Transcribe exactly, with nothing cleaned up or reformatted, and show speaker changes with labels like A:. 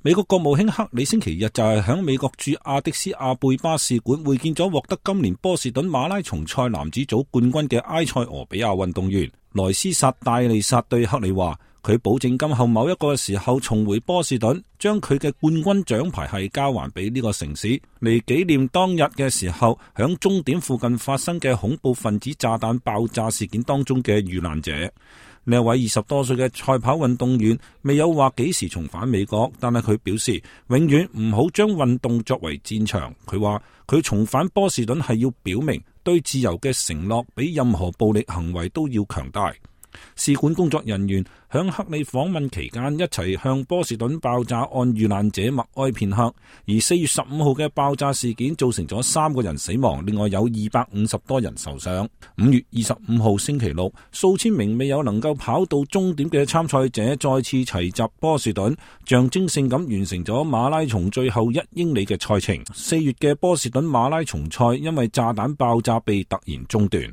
A: 美國國務卿克里星期日就係響美國駐亞的斯亞貝巴使館會見咗獲得今年波士頓馬拉松賽男子組冠軍嘅埃塞俄比亞運動員萊斯薩戴利薩，對克里話，佢保證今後某一個時候重回波士頓，將佢嘅冠軍獎牌係交還俾呢個城市，嚟紀念當日嘅時候響終點附近發生嘅恐怖分子炸彈爆炸事件當中嘅遇難者。呢位二十多歲嘅賽跑運動員未有話幾時重返美國，但係佢表示永遠唔好將運動作為戰場。佢話佢重返波士頓係要表明對自由嘅承諾比任何暴力行為都要強大。使館工作人員響克里訪問期間一齊向波士頓爆炸案遇難者默哀片刻，而四月十五號嘅爆炸事件造成咗三個人死亡，另外有二百五十多人受傷。五月二十五號星期六，數千名未有能夠跑到終點嘅參賽者再次齊集波士頓，象徵性咁完成咗馬拉松最後一英里嘅賽程。四月嘅波士頓馬拉松賽因為炸彈爆炸被突然中斷。